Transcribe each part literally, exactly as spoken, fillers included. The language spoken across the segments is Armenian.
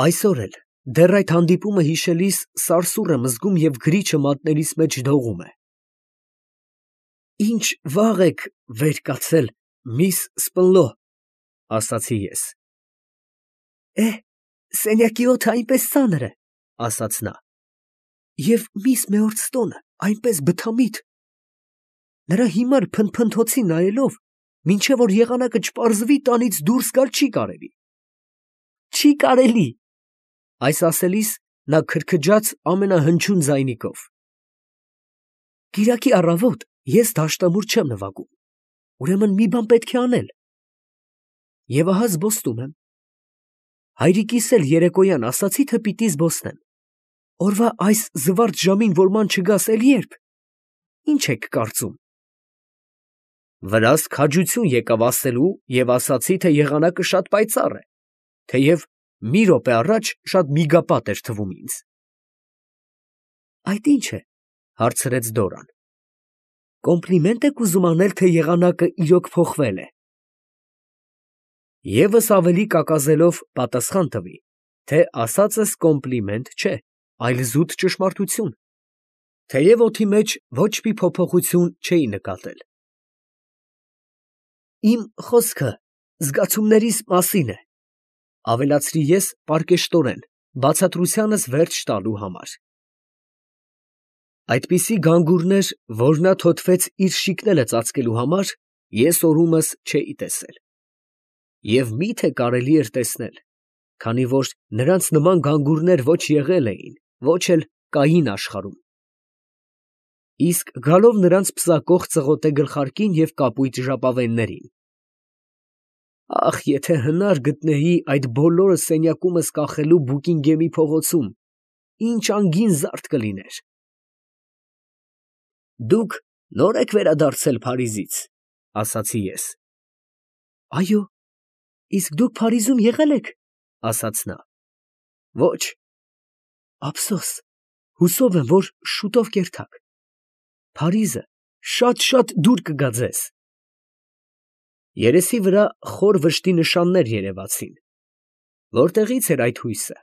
Այսօր էլ, դեռ այդ հանդիպումը հիշելիս, սարսուռ եմ զգում և գրիչը մատներիս մեջ դողում է։ «Ինչ վաղ եք վեր կացել, միս Սպլո», ֊ ասացի ես։ «Է, սենյակի օդը այնպես ծանր է», ֊ ասաց նա, «և միս Մեորստոնը այնպես բթամիտ»։ Նրա հիմար փնթփնթոցին նայելով, մինչև որ եղանակը չպարզվի, տանից դուրս գալ չի կարելի։ «Չի կարելի»։ Այս ասելիս նա քրքջաց ամենահնչյուն ձայնիկով։ «Կիրակի առավոտ ես դաշտամուր չեմ նվագում, ուրեմն մի բան պետք է անել։ Եվ ահա զբոսնում եմ։ Հայրիկիս էլ երեկոյան ասացի, թե պիտի զբոսնեմ։ Օրվա այս զվարթ ժամին որման չգաս, էլ ե՞րբ։ Ինչ եք կարծում»։ Վրաս քաջություն եկավ ասելու և ասացի, թե եղանակը շատ պայծառ է, թեև մի րոպե առաջ շատ միգապատ էր թվում ինձ։ «Այդ ի՞նչ է», ֊ հարցրեց Դորան։ «Կոմպլիմենտ եք ուզում անել, թե եղանակը իրոք փոխվել է»։ Եվս ավելի կակազելով պատասխան տվի, թե ասածս կոմպլիմենտ չէ, այլ զուտ ճշմարտություն, թեև օդի մեջ ոչ մի փոփոխություն չէի նկատել։ «Իմ խոսքը զգացումներիս մասին է», ֊ ավելացրի ես պարկեշտորեն, բացատրությանս վերջ տալու համար։ Այդպիսի գանգուրներ, որ նա թոթվեց իր շիկները ծածկելու համար, ես օրումս չէի տեսել։ Եվ մի՞թե կարելի էր տեսնել, քանի որ նրանց նման գանգուրներ ոչ եղել էին, ոչ էլ կային աշխարհում։ Իսկ գալով նրանց պսակող ծղոտե գլխարկին և կապույտ ժապավեններին։ Ախ, եթե հնար գտնեի այդ բոլորը սենյակումս կախելու Բուկինգեմի փողոցում, ինչ անգին զարդ կլիներ։ «Դուք նո՞ր եք վերադարձել Փարիզից», ֊ ասացի ես։ «Այո, իսկ դուք Փարիզում եղե՞լ եք», ֊ ասաց նա։ «Ոչ»։ «Ափսոս, հուսով եմ, որ շուտով կերթաք։ Փարիզը շատ֊շատ դուր կգա ձեզ»։ Երեսի վրա խոր վշտի նշաններ երևացին։ Որտեղի՞ց էր այդ հույսը։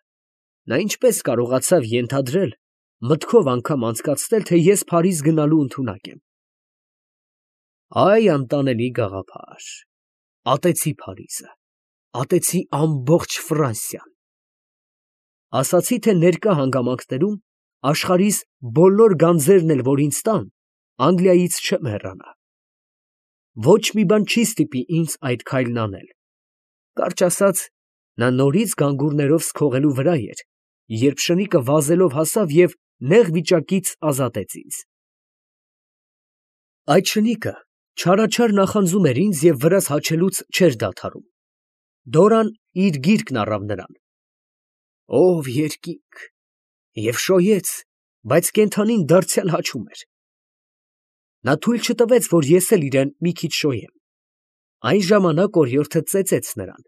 Նա ինչպես կարողացավ ենթադրել, մտքով անգամ անցկացնել, թե ես Փարիզ գնալու ընդունակ եմ։ Այ անտանելի գաղափար։ Ատեցի Փարիզը, ատեցի ամբողջ Ֆրանսիան։ Ասացի, թե ներկա հանգամանքներում աշխարհիս բոլոր գանձերն էլ որ ինձ տան, Անգլիայից չեմ հեռանա։ Ոչ մի բան չի ստիպի ինձ այդ քայլն անել։ Կարճ ասած, նա նորից գանգուրներով սքողելու վրա էր, երբ շնիկը վազելով հասավ և նեղ վիճակից ազատեց ինձ։ Այդ շնիկը չարաչար նախանձում էր ինձ և վրաս հաչելուց չէր դադարում։ Դորան իր գիրկն առավ նրան։ Ով երկինք, և շոյեց, բայց կենդանին դարձյալ հաչում էր։ Նա թույլ չտվեց, որ ես էլ իրան մի քիչ շոյեմ։ Այն ժամանակ օրիորդը ծեծեց նրան։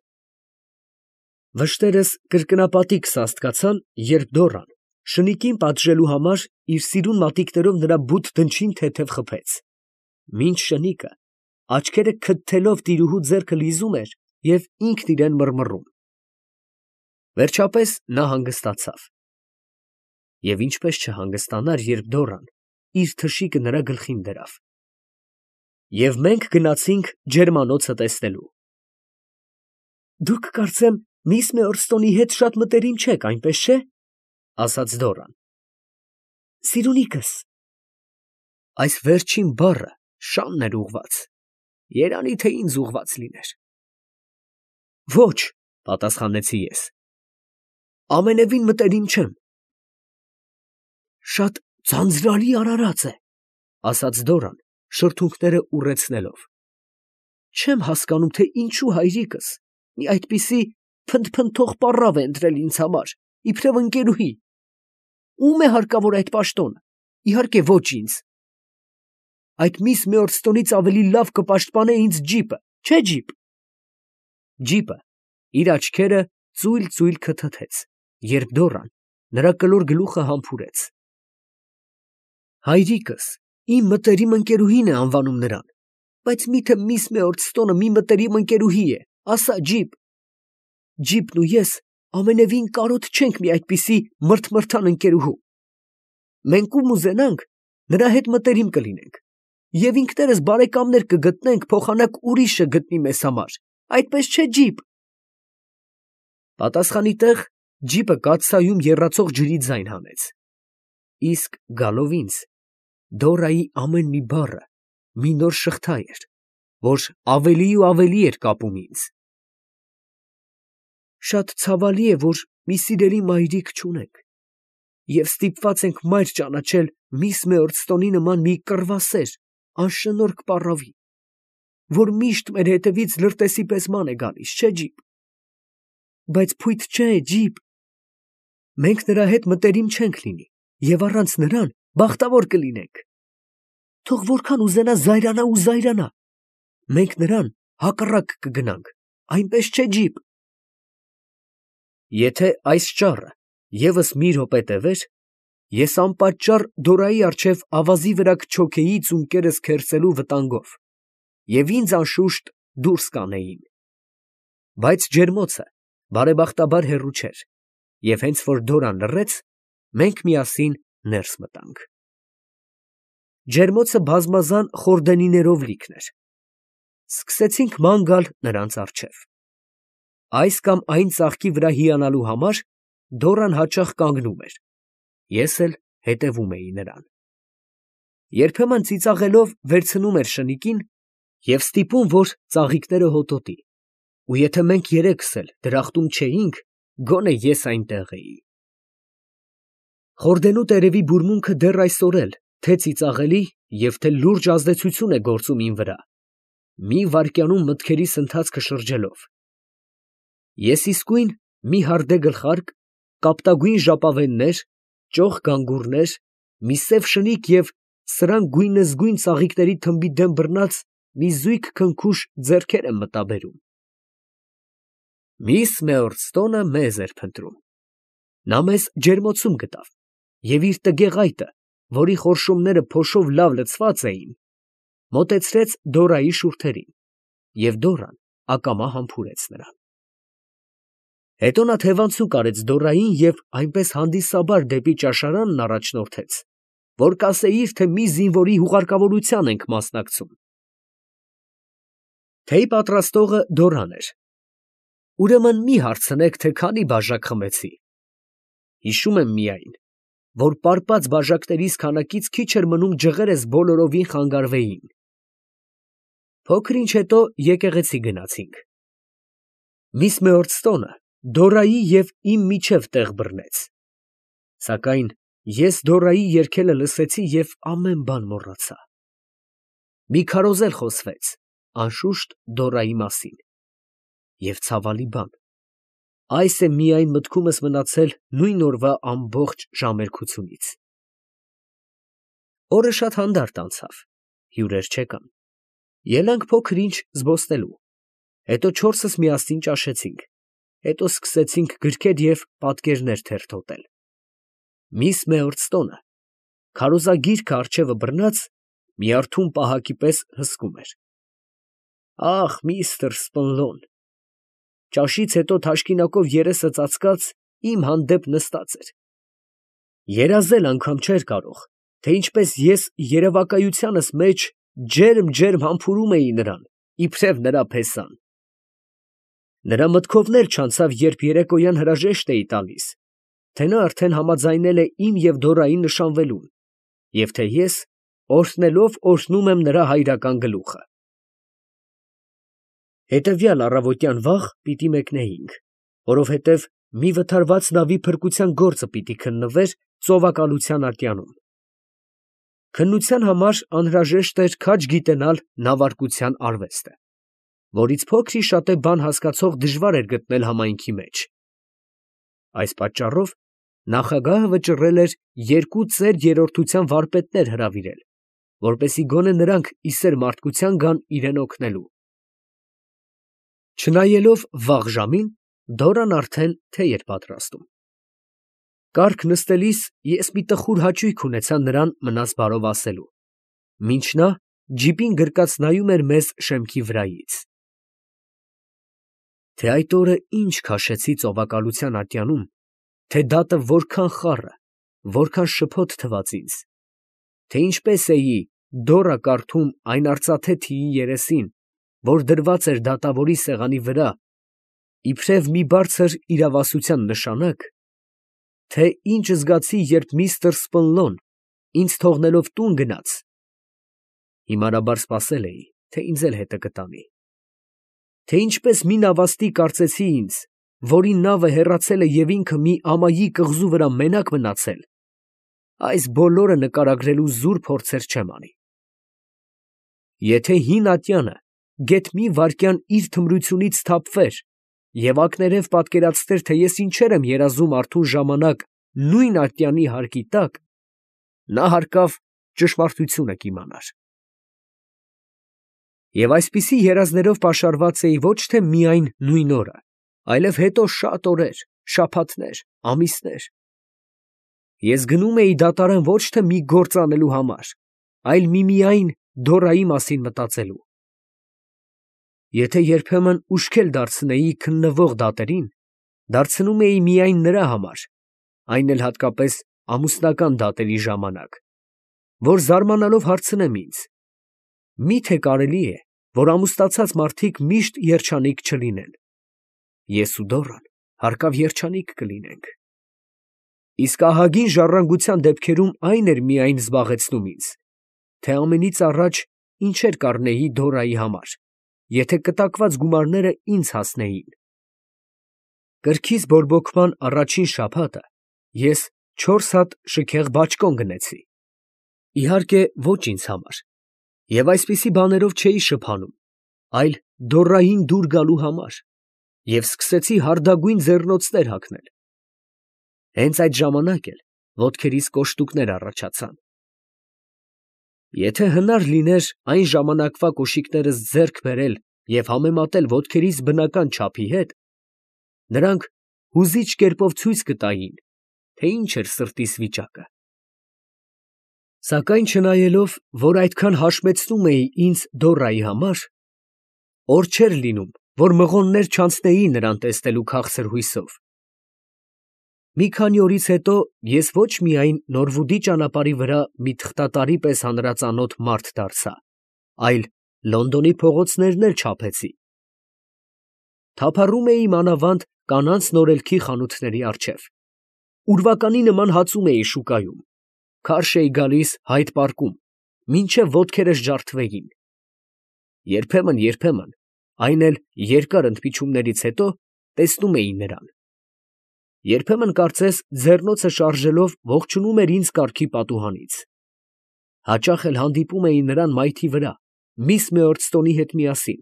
Վշտերս կրկնապատիկ սաստկացան, երբ Դորան, շնիկին պատժելու համար, իր սիրուն մատիկներով նրա բութ դնչին թեթև խփեց, մինչ շնիկը, աչքերը քթթելով տիրուհու ձեռքը լիզում էր և ինքն իրան մռմռում։ Վերջապես նա հանգստացավ։ Եվ ինչպես չհանգստանար, երբ Դորան իր թշիկը նրա գլխին դրավ։ Եվ մենք գնացինք ջերմանոցը տեսնելու։ «Դուք, կարծեմ, միս Մեորստոնի հետ շատ մտերիմ չեք, այնպես չէ՞, ֊ ասաց Դորան։ ֊ Սիրունիքս։ Այս վերջին բառը շանն էր ուղղված, երանի թե ինձ ուղղված լիներ։ Ոչ, ֊ պատասխանեցի ես, ամենևին մտերիմ չեմ։ Շատ ձանձրալի արարած է, ֊ ասաց Դորան, շրթունքները ուռեցնելով։ Չեմ հասկանում, թե ինչու հայրիկս մի այդպիսի փնթփնթող պառավ է ընտրել ինձ համար, իբրև ընկերուհի։ Ո՞ւմ է հարկավոր այդ պաշտոնը, իհարկե ոչ ինձ։ Այդ միս Մեորստոնից ավելի լավ կպաշտպանե ինձ ջիպը, չէ՞ ջիպ։ Ջիպը իր աչքերը ծույլ֊ծույլ քթթեց, երբ Դորան նրա կլոր գլուխը համբուրեց։ Հայրիկս իմ մտերիմ ընկերուհին է անվանում նրան, բայց մի՞թե միս Մեորստոնը մի մտերիմ ընկերուհի է, ասա, ջիպ։ Ջիպն ու ես ամենևին կարոտ չենք մի այդպիսի մրթմրթան ընկերուհու։ Մենք ում ուզենանք, նրա հետ մտերիմ կլինենք, և ինքներս բարեկամներ կգտնենք, փոխանակ ուրիշը գտնի մեզ համար, այդպես չէ՞ ջիպ։ Պատասխանի տեղ ջիպը կաթսայում եռացող ջրի ձայն հանեց, իսկ գալով ինձ, Դորայի ամեն մի բառը մի նոր շղթա էր, որ ավելի ու ավելի էր կապում ինձ։ Շատ ցավալի է, որ մի սիրելի մայրիկ չունենք, և ստիպված ենք մայր ճանաչել միս Մեորցտոնի նման մի կռվասեր, անշնորհք պառավի, որ միշտ մեր հետևից լրտեսի պես ման է գալիս, չէ՞ ջիպ։ Բայց փույթ չէ, ջիպ, մենք նրա հետ մտերիմ չենք լինի, և առանց նրան բախտավոր կլինենք։ Թող որքան ուզենա զայրանա ու զայրանա, մենք նրան հակառակ կգնանք, այնպես չէ՞ ջիպ։ Եթե այս ճառը ևս մի րոպե տևեր, ես անպատճառ Դորայի առջև ավազի վրա կչոքեի ծունկերս քերծելու վտանգով, և ինձ անշուշտ դուրս կանեին։ Բայց ջերմոցը բարեբախտաբար հեռու չէր, և հենց որ Դորան լռեց, մենք միասին ներս մտանք։ Ջերմոցը բազմազան խորդենիներով լիքն էր։ Սկսեցինք ման գալ նրանց առջև։ Այս կամ այն ծաղկի վրա հիանալու համար Դորան հաճախ կանգնում էր, ես էլ հետևում էի նրան։ Երբեմն ծիծաղելով վերցնում էր շնիկին և ստիպում, որ ծաղիկները հոտոտի, ու եթե մենք երեքս էլ դրախտում չէինք, գոնե ես այնտեղ էի։ Խորդենու տերևի բուրմունքը դեռ այսօր էլ թե ծիծաղելի և թե լուրջ ազդեցություն է գործում իմ վրա, մի վայրկյանում մտքերիս ընթացքը շրջելով։ Ես իսկույն մի հարդե գլխարկ, կապտագույն ժապավեններ, ճոխ գանգուրներ, մի սև շնիկ և սրանք գույնզգույն ծաղիկների թմբի դեմ բռնած մի զույգ քնքուշ ձեռքեր եմ մտաբերում։ Միս Մեորցտոնը մեզ էր փնտրում։ Նա մեզ ջերմոցում գտավ և իր տգեղ այտը, որի խորշումները փոշով լավ լցված էին, մոտեցրեց Դորայի շուրթերին, և Դորան ակամա համբուրեց նրան։ Հետո նա թևանցուկ արեց Դորային և այնպես հանդիսաբար դեպի ճաշարանն առաջնորդեց, որ կասեիր, թե մի զինվորի հուղարկավորության ենք մասնակցում։ Թեյ պատրաստողը Դորան էր։ Ուրեմն մի հարցնեք, թե քանի բաժակ խմեցի։ Հիշում եմ միայն, որ պարպած բաժակներիս քանակից քիչ էր մնում ջղերս բոլորովին խանգարվեին։ Փոքր ինչ հետո եկեղեցի գնացինք։ Միս Մեորցտոնը Դորայի և իմ միջև տեղ բռնեց, սակայն ես Դորայի երգելը լսեցի և ամեն բան մոռացա։ Մի քարոզել խոսվեց, անշուշտ Դորայի մասին, և ցավալի բան, այս է միայն մտքումս մնացել նույն օրվա ամբողջ ժամերկությունից։ Օրը շատ հանդարտ անցավ, հյուրեր չեկան։ Ելանք փոքր ինչ զբոսնելու, հետո չորսս միասին ճաշեցինք, հետո սկսեցինք գրքեր և պատկերներ թերթոտել։ Միս Մեորցտոնը քարոզագիրքը առջևը բռնած, մի արթուն պահակի պես հսկում էր։ Ախ, միստր Սպընլոն, ճաշից հետո թաշկինակով երեսը ծածկած իմ հանդեպ նստած էր։ Երազել անգամ չէր կարող, թե ինչպես ես երևակայությանս մեջ ջերմ֊ջերմ համբուրում էի նրան, իբրև նրա փեսան։ Նրա մտքով չանցավ, երբ երեկոյան հրաժեշտ էի տալիս, թե նա արդեն համաձայնել է իմ և Դորայի նշանվելուն, և թե ես օրհնելով օրհնում եմ նրա հայրական գլուխը։ Հետևյալ առավոտյան վաղ պիտի մեկնեինք, որովհետև մի վթարված նավի փրկության գործը պիտի քննվեր ծովակալության ատյանում։ Քննության համար անհրաժեշտ էր քաջ գիտենալ նավարկության արվեստը, որից փոքր-ի-շատե բան հասկացող դժվար էր գտնել համայնքի մեջ։ Այս պատճառով նախագահը վճռել էր երկու ծեր երրորդության վարպետներ հրավիրել, որպեսզի գոնե նրանք ի սեր մարդկության գան իրան օգնելու։ Չնայելով վաղ ժամին, Դորան արդեն թեյ էր պատրաստում։ Կառք նստելիս ես մի տխուր հաճույք ունեցա նրան մնաս բարով ասելու, մինչ նա ջիպին գրկած նայում էր մեզ շեմքի վրայից։ թե այդ օրը ինչ քաշեցի ծովակալության ատյանում, թե դատը որքան խառը, որքան շփոթ թվաց ինձ, թե ինչպես էի դոռա կարդում այն արծաթե թիի երեսին, որ դրված էր դատավորի սեղանի վրա, իբրև մի բարձր իրավասության նշանակ, թե ինչ զգացի, երբ միստր Սպնլոն ինձ թողնելով տուն գնաց, հիմարաբար սպասել էի, թե ինձ էլ հետը կտանի, թե ինչպես մի նավաստի կարծեցի ինձ, որի նավը հեռացել է և ինքը մի ամայի կղզու վրա մենակ մնացել, այս բոլորը նկարագրելու զուր փորձեր չեմ անի։ Եթե հին ատյանը գեթ մի վայրկյան իր թմրությունից սթափվեր և ակներև պատկերացներ, թե ես ինչեր եմ երազում արթուն ժամանակ նույն ատյանի հարկի տակ, նա հարկավ ճշմարտությունը կիմանար։ Եվ այսպիսի երազներով պաշարված էի ոչ թե միայն նույն օրը, այլև հետո շատ օրեր, շաբաթներ, ամիսներ։ Ես գնում էի դատարան ոչ թե մի գործ անելու համար, այլ միմիայն Դորայի մասին մտածելու։ Եթե երբեմն ուշքել դարձնեի քննվող դատերին, դարձնում էի միայն նրա համար, այն էլ հատկապես ամուսնական դատերի ժամանակ, որ զարմանալով հարցնեմ ինձ. մի՞թե կարելի է, որ ամուսնացած մարդիկ միշտ երջանիկ չլինեն։ Ես ու Դորան հարկավ երջանիկ կլինենք։ Իսկ ահագին ժառանգության դեպքերում այն էր միայն զբաղեցնում ինձ, թե ամենից առաջ ինչեր կառնեի Դորայի համար, եթե կտակված գումարները ինձ հասնեին։ Կրքիս բորբոքման առաջին շաբաթը ես չորս հատ շքեղ բաճկոն գնեցի, իհարկե ոչ ինձ համար, և այսպիսի բաներով չէի շփանում, այլ Դորային դուր գալու համար, և սկսեցի հարդագույն ձեռնոցներ հագնել։ Հենց այդ ժամանակ էլ ոտքերիս կոշտուկներ առաջացան։ Եթե հնար լիներ այն ժամանակվա կոշիկներս ձեռք բերել և համեմատել ոտքերիս բնական չափի հետ, նրանք հուզիչ կերպով ցույց կտային, թե ինչ էր սրտիս վիճակը։ Սակայն չնայելով, որ այդքան հաշմեցնում էի ինձ Դորայի համար, օր չէր լինում, որ մղոններ չանցնեի նրան տեսնելու քաղցր հույսով։ Մի քանի օրից հետո ես ոչ միայն Նորվուդի ճանապարհի վրա մի թղթատարի պես հանրածանոթ մարդ դարձա, այլ Լոնդոնի փողոցներն էլ չափեցի։ Թափառում էի մանավանդ կանանց նորելքի խանութների առջև, ուրվականի նման հացում էի շուկայում, քարշ էի գալիս Հայդ պարկում, մինչև ոտքերս ջարդվեին։ Երբեմն, երբեմն, այն էլ երկար ընդմիջումներից հետո, տեսնում էի նրան։ Երբեմն կարծես ձեռնոցը շարժելով ողջունում էր ինձ կառքի պատուհանից։ Հաճախ էլ հանդիպում էի նրան մայթի վրա, միս Մեորդստոնի հետ միասին,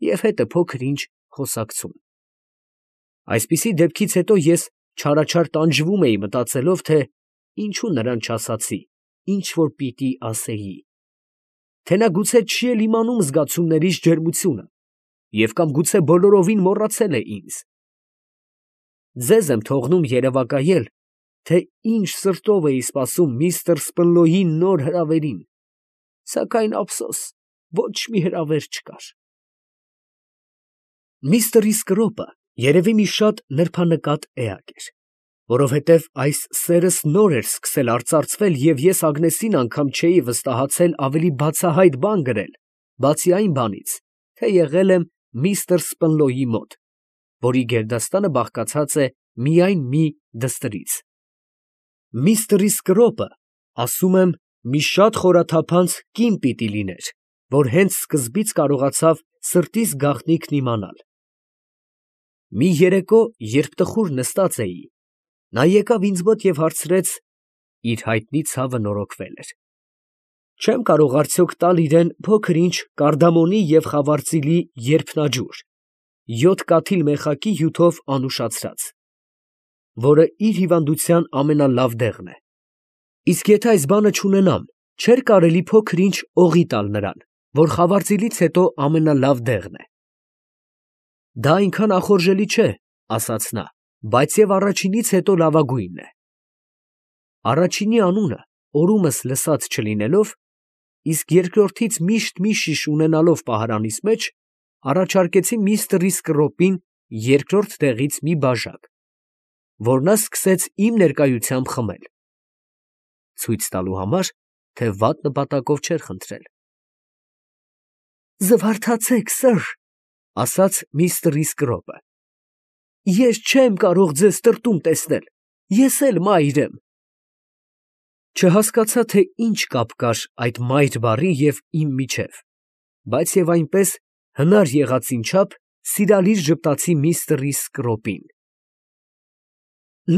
և հետը փոքր-ինչ խոսակցում։ Այսպիսի դեպքից հետո ես չարաչար տանջվում էի մտածելով, թե ինչու նրան չասացի, ինչ որ պիտի ասեի, թե նա գուցե չի էլ իմանում զգացումներիս ջերմությունը և կամ գուցե բոլորովին մոռացել է ինձ։ Ձեզ եմ թողնում երևակայել, թե ինչ սրտով էի սպասում միստր Սպնլոյի նոր հրավերին, սակայն ափսոս, ոչ մի հրավեր չկար։ Միստր Իսկրոպը երևի մի շատ նրբանկատ էակ էր, որովհետև այս սերս նոր էր սկսել արծարծվել և ես Ագնեսին անգամ չէի վստահացել ավելի բացահայտ բան գրել, բացի այն բանից, թե եղել եմ միստր Սպնլոյի մոտ, որի գերդաստանը բաղկացած է միայն մի դստրից։ Միստր Իսկրոպը, ասում եմ, մի շատ խորաթափանց կին պիտի լիներ, որ հենց սկզբից կարողացավ սրտիս գաղտնիքն իմանալ։ Մի երեկո, երբ տխուր նստած էի, նա եկավ ինձ մոտ և հարցրեց. իր հայտնի ցավը նորոգվել էր։ Չեմ կարող արդյոք տալ իրան փոքր-ինչ կարդամոնի և խավարծիլի երփնաջուր, յոթ կաթիլ մեխակի հյութով անուշացրած, որը իր հիվանդության ամենալավ դեղն է։ Իսկ եթե այս բանը չունենամ, չէր կարելի փոքր-ինչ օղի տալ նրան, որ խավարծիլից հետո ամենալավ դեղն է։ Դա այնքան ախորժելի չէ, ասաց նա, բայց և առաջինից հետո լավագույնն է։ Առաջինի անունը օրումս լսած չլինելով, իսկ երկրորդից միշտ մի շիշ ունենալով պահարանիս մեջ, առաջարկեցի միստր Իսկրոպին երկրորդ տեղից մի բաժակ, որ նա սկսեց իմ ներկայությամբ խմել, ցույց տալու համար, թե վատ նպատակով չէր խնդրել։ «Զվարթացեք, սըր, ֊ ասաց միստր Իսկրոպը, ֊ ես չեմ կարող ձեզ տրտում տեսնել, ես էլ մայր եմ»։ Չհասկացա, թե ինչ կապ կար այդ մայր բառի և իմ միջև, բայց և այնպես հնար եղածին չափ սիրալիր ժպտացի միստր Իսկրոպին։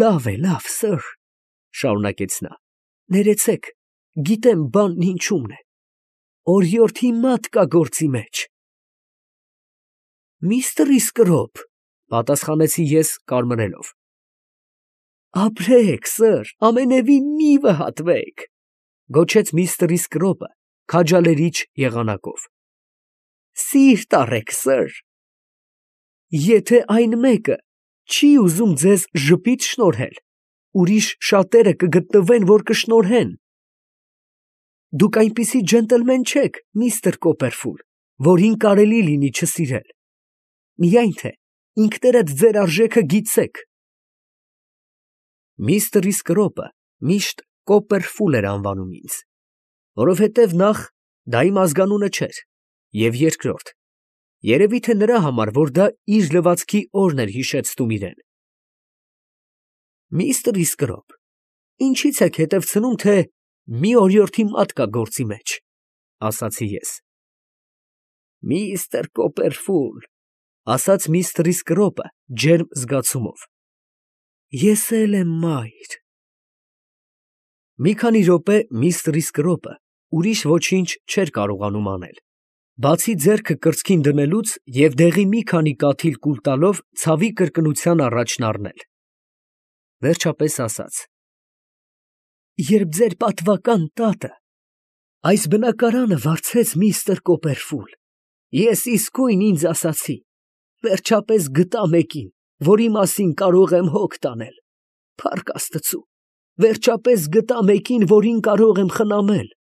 «Լավ է, լավ, սըր, ֊ շարունակեց նա, ֊ ներեցեք, գիտեմ բանն ինչումն է, օրիորդի մատ կա գործի մեջ»։ «Միստր Իսկրոպ, ֊ պատասխանեցի ես կարմրելով, ֊ ապրեք, սըր, ամենևին մի վհատվեք, ֊ գոչեց միստր Իսկրոպը քաջալերիչ եղանակով, ֊ սիրտ առեք, սըր, եթե այն մեկը չի ուզում ձեզ ժպիտ շնորհել, ուրիշ շատերը կգտնվեն, որ կշնորհեն։ Դուք այնպիսի ջենտլմեն չեք, միստր Կոպերֆուլ, որին կարելի լինի չսիրել, միայն թե ինքներդ ձեր արժեքը գիտեք։ Միստր Իսկրոպը միշտ Կոպերֆուլ էր անվանում ինձ, որովհետև նախ դա իմ ազգանունը չէր, և երկրորդ, երևի թե նրա համար, որ դա իր լվացքի օրն էր հիշեցնում իրան։ Միստր Իսկրոպ, ինչի՞ց եք հետևցնում, թե մի օրիորդի մատ կա գործի մեջ, ֊ ասացի ես։ Միստր Կոպերֆուլ, ֊ ասաց միստր Իսկրոպը ջերմ զգացումով, ֊ ես էլ եմ մայր։ Մի քանի րոպե միստր Իսկրոպը ուրիշ ոչինչ չէր կարողանում անել, բացի ձեռքը կրծքին դնելուց և դեղի մի քանի կաթիլ կուլ տալով ցավի կրկնության առաջն առնել, վերջապես ասաց. «Երբ ձեր պատվական տատը այս բնակարանը վարձեց միստր Կոպերֆուլ, ես իսկույն ինձ ասացի, վերջապես գտա մեկին, որի մասին կարող եմ հոգ տանել, փառք Աստծու, վերջապես գտա մեկին, որին կարող եմ խնամել,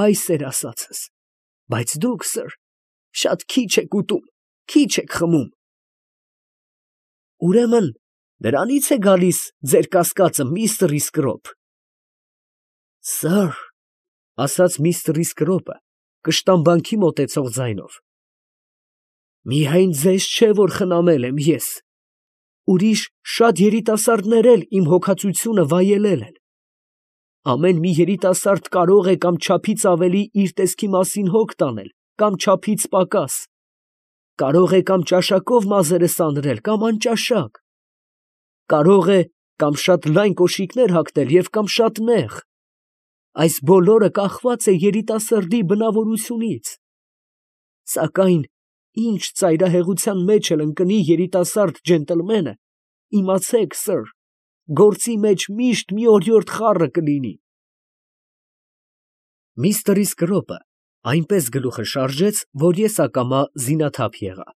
այս էր ասածս, բայց դուք, սըր, շատ քիչ եք ուտում, քիչ եք խմում։ Ուրեմն դրանից է գալիս ձեր կասկածը, միստր Իսկրոպ։ Սըր, ֊ ասաց միստր Իսկրոպը կշտամբանքի մոտեցող ձայնով, ֊ միայն ձեզ չէ, որ խնամել եմ ես, ուրիշ շատ երիտասարդներ էլ իմ հոգածությունը վայելել են։ Ամեն մի երիտասարդ կարող է կամ չափից ավելի իր տեսքի մասին հոգ տանել, կամ չափից պակաս, կարող է կամ ճաշակով մազերը սանրել, կամ անճաշակ, կարող է կամ շատ լայն կոշիկներ հագնել և կամ շատ նեղ, այս բոլորը կախված է երիտասարդի բնավորությունից, սակայն ինչ ծայրահեղության մեջ էլ ընկնի երիտասարդ ջենտլմենը, իմացեք, սըր, գործի մեջ միշտ մի օրիորդ խառը կլինի։ Միստր Իսկրոպը այնպես գլուխը շարժեց, որ ես ակամա զինաթափ եղա։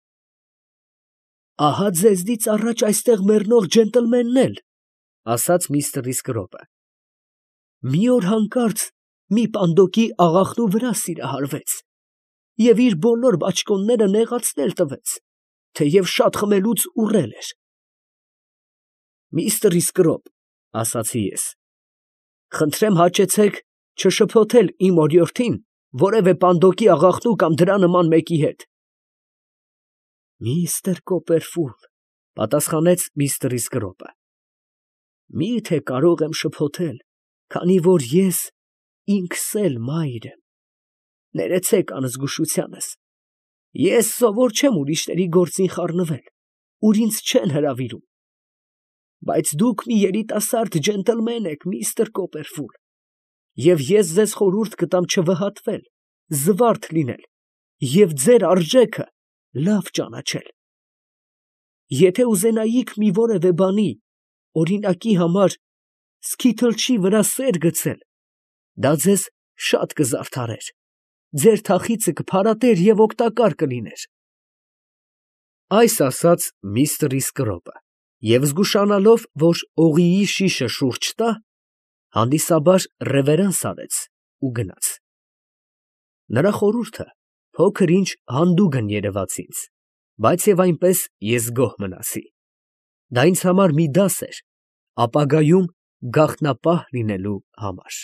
Ահա ձեզնից առաջ այստեղ մեռնող ջենտլմենն էլ, ֊ ասաց միստր Իսկրոպը, մի օր հանկարծ մի պանդոկի աղախնու վրա սիրահարվեց և իր բոլոր բաճկոնները նեղացնել տվեց, թեև շատ խմելուց ուռել էր։ Միստր Իսկրոպ, ֊ ասացի ես, ֊ խնդրեմ հաճեցեք չշփոթել իմ օրիորդին որևէ պանդոկի աղախնու կամ դրա նման մեկի հետ։ Միստր Կոպերֆուլ, ֊ պատասխանեց միստր Իսկրոպը, ֊ մի՞թե կարող եմ շփոթել, քանի որ ես ինքս էլ մայր եմ, ներեցեք անզգուշությանս, ես սովոր չեմ ուրիշների գործին խառնվել, ուր ինձ չեն հրավիրում, բայց դուք մի երիտասարդ ջենտլմեն եք, միստր Կոպերֆուլ, և ես ձեզ խորհուրդ կտամ չվհատվել, զվարթ լինել և ձեր արժեքը լավ ճանաչել։ Եթե ուզենայիք մի որևէ բանի, օրինակի համար սկիթլչի վրա սեր գցել, դա ձեզ շատ կզարդարեր, ձեր թախիծը կփարատեր և օգտակար կլիներ։ Այս ասաց միստր Իսկրոպը և զգուշանալով, որ օղիի շիշը շուրջ տա, հանդիսաբար ռևերանս արեց ու գնաց։ Նրա խորհուրդը փոքր ինչ հանդուգն երևաց ինձ, Բայց և այնպես ես գոհ մնացի. դա ինձ համար մի դաս էր ապագայում գաղտնապահ լինելու համար։